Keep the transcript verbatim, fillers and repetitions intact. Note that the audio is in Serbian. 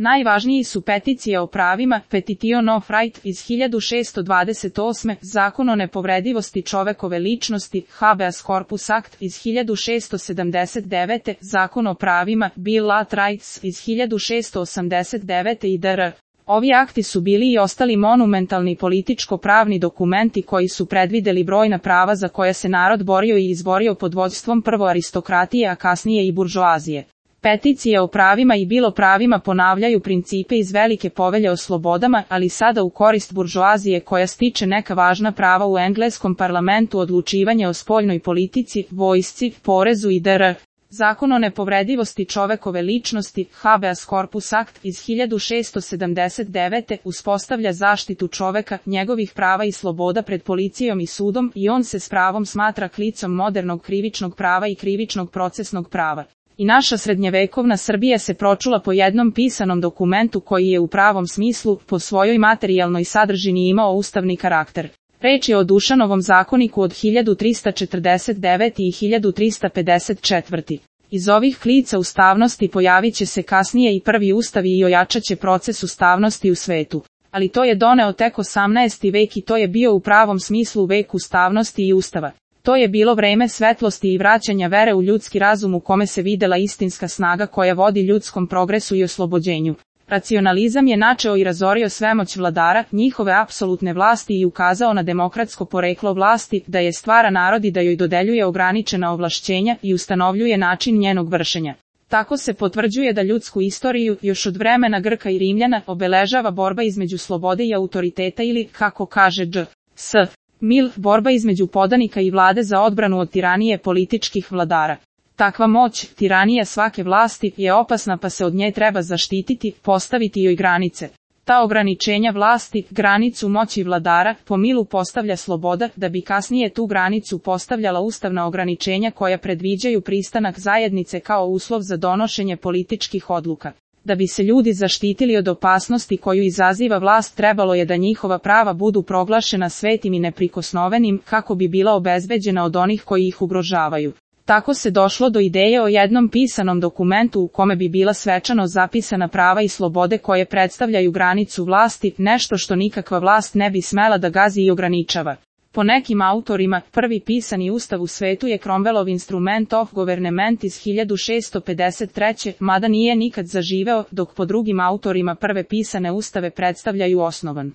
Najvažniji su peticije o pravima, Petition of Right iz hiljadu šessto dvadeset osme, Zakon o nepovredivosti čovekove ličnosti, Habeas Corpus Act iz hiljadu šessto sedamdeset devete, Zakon o pravima, Bill of Rights iz hiljadu šessto osamdeset devete itd. Ovi akti su bili i ostali monumentalni političko-pravni dokumenti koji su predvideli brojna prava za koja se narod borio i izborio pod vođstvom prvo aristokratije, a kasnije i buržoazije. Peticije o pravima i bilo pravima ponavljaju principe iz Velike povelje o slobodama, ali sada u korist buržoazije koja stiče neka važna prava u engleskom parlamentu, odlučivanje o spoljnoj politici, vojsci, porezu itd. Zakon o nepovredivosti čovekove ličnosti, Habeas Corpus Act iz hiljadu šessto sedamdeset devete, uspostavlja zaštitu čoveka, njegovih prava i sloboda pred policijom i sudom i on se s pravom smatra klicom modernog krivičnog prava i krivičnog procesnog prava. I naša srednjevekovna Srbija se pročula po jednom pisanom dokumentu koji je u pravom smislu, po svojoj materijalnoj sadržini imao ustavni karakter. Reč je o Dušanovom zakoniku od hiljadu trista četrdeset devete. i hiljadu trista pedeset četvrte. Iz ovih klica ustavnosti pojavit će se kasnije i prvi ustavi i ojačat će proces ustavnosti u svetu. Ali to je doneo tek osamnaesti vek i to je bio u pravom smislu vek ustavnosti i ustava. To je bilo vreme svetlosti i vraćanja vere u ljudski razum u kome se videla istinska snaga koja vodi ljudskom progresu i oslobođenju. Racionalizam je načeo i razorio svemoć vladara, njihove apsolutne vlasti i ukazao na demokratsko poreklo vlasti, da je stvara narod i da joj dodeljuje ograničena ovlašćenja i ustanovljuje način njenog vršenja. Tako se potvrđuje da ljudsku istoriju, još od vremena Grka i Rimljana, obeležava borba između slobode i autoriteta ili, kako kaže Dž S Mill, borba između podanika i vlade za odbranu od tiranije političkih vladara. Takva moć, tiranija svake vlasti, je opasna pa se od nje treba zaštititi, postaviti joj granice. Ta ograničenja vlasti, granicu moći vladara, po Millu postavlja sloboda, da bi kasnije tu granicu postavljala ustavna ograničenja koja predviđaju pristanak zajednice kao uslov za donošenje političkih odluka. Da bi se ljudi zaštitili od opasnosti koju izaziva vlast, trebalo je da njihova prava budu proglašena svetim i neprikosnovenim, kako bi bila obezbeđena od onih koji ih ugrožavaju. Tako se došlo do ideje o jednom pisanom dokumentu u kome bi bila svečano zapisana prava i slobode koje predstavljaju granicu vlasti, nešto što nikakva vlast ne bi smela da gazi i ograničava. Po nekim autorima, prvi pisani ustav u svetu je Cromwellov Instrument of Government iz hiljadu šessto pedeset treće, mada nije nikad zaživeo, dok po drugim autorima prve pisane ustave predstavljaju osnovan